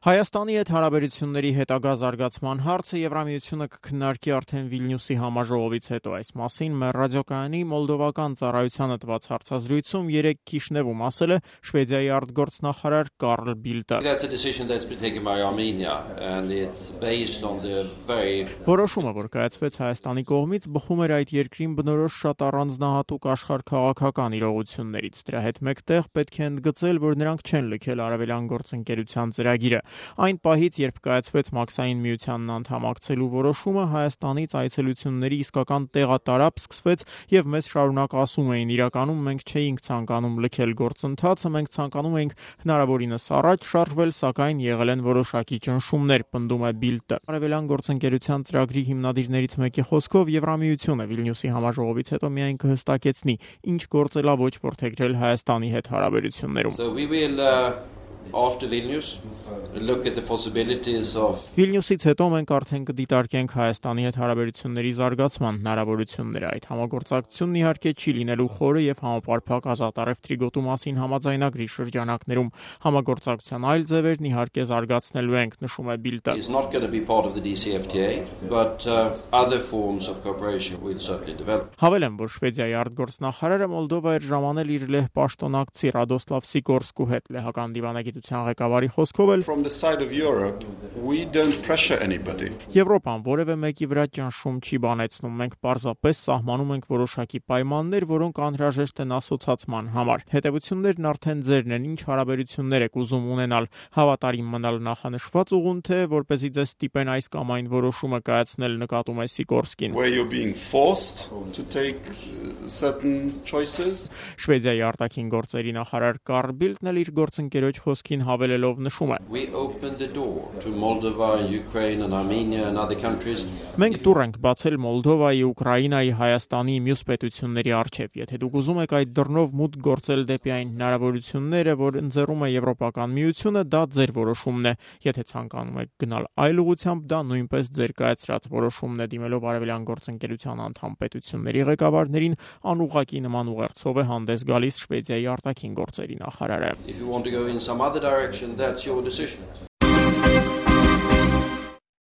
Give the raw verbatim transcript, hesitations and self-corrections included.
Հայաստանի հետ հարաբերությունների հետագա զարգացման հարցը Եվրամիությունը կքննարկի արդեն Վիլնյուսի համաժողովից հետո։ Այս մասին մեր ռադիոկայանի մոլդովական ծառայությանը տված հարցազրույցում երեկ Քիշնևում ասել է Շվեդիայի արտգործնախարար Կարլ Բիլդը։ Որոշումը, որ կայացվեց Հայաստանի կողմից, բխում էր այդ երկրին բնորոշ շատ առանձնահատուկ աշխարհքաղաքական իրողություններից։ Դրա հետ մեկտեղ պետք է ընդգծել, որ նրանք չեն լքել Արևելյան գործընկերության ծրագիրը։ Այն պահից, երբ կայացվեց Մաքսային միությանն անդամակցելու որոշումը, Հայաստանից այցելությունների իսկական տեղատարապ սկսվեց եւ մեզ շարունակ ասում էին, իրականում մենք չէինք ցանկանում լքել գործընթացը, մենք ցանկանում էինք հնարավորինս առաջ շարժվել, սակայն եղել են որոշակի ճնշումներ, պնդում է Բիլդը։ Արևելյան գործընկերության ծրագրի հիմնադիրներից մեկի խոսքով Եվրամիությունը Վիլնյուսի համաժողովից հետո միայն կհստակեցնի, ինչ գործելավոճ որդեգրել Հայաստանի հետ հարաբերություններում։ So we will uh... After Vilnius, look at the possibilities of Վիլնյուսից հետո մենք արդեն կդիտարկենք Հայաստանի հետ հարաբերությունների զարգացման հնարավորությունները։ Այդ համագործակցությունն իհարկե չի լինելու խորը եւ համապարփակ ազատարև գոտու մասին համաձայնագրի շրջանակներում։ Համագործակցության այլ ձևերն իհարկե զարգացնելու ենք, նշում է Բիլդը։ It's not going to be part of the D C F T A, but uh, other forms of cooperation will certainly develop. Հավելեմ, որ Շվեդիայի արտգործնախարարը Մոլդովա էր ժամանել իր լեհ պաշտոնակցի Ռադոսլավ Սիկորսկու հետ լեհական դիվանագիտության ղեկավարի խոսքով էլ From the side of Europe, we don't pressure anybody. Եվրոպան որևէ մեկի վրա ճնշում չի բանեցնում, մենք պարզապես սահմանում ենք որոշակի պայմաններ, որոնք անհրաժեշտ են ասոցացման համար։ Հետևություններն արդեն ձերն են, ինչ հարաբերություններ եք ուզում ունենալ, հավատարիմ մնալ նախանշված ուղուն, թե որպեսզի ձեզ ստիպեն այս կամ այն որոշումը կայացնել, նկատում է Սիկորսկին։ Where you're being forced to take certain choices. Շվեդիայի արտաքին գործերի նախարար Կարլ Բիլդն էլ իր գործընկերոջ խոսքին հավելելով նշում է. We opened the door to Moldova, Ukraine and Armenia and other countries. Մենք դուռ ենք բացել Մոլդովայի, Ուկրաինայի, Հայաստանի մյուս պետությունների առջև։ Եթե դուք ուզում եք այդ դռնով մուտք գործել դեպի այն հնարավորությունները, որ ընձեռում է Եվրոպական միությունը, դա ձեր որոշումն է։ Եթե ցանկանում եք գնալ այլ ուղղությամբ, դա նույնպես ձեր կայացրած որոշումն է, դիմելով Արևելյան գործընկերության անդամ պետությունների ղեկավարներին, անուղղակի նման ուղերձով է հանդես գալիս Շվեդիայի արտաքին գործերի նախարարը։ If you want to go in some other direction, that's your decision.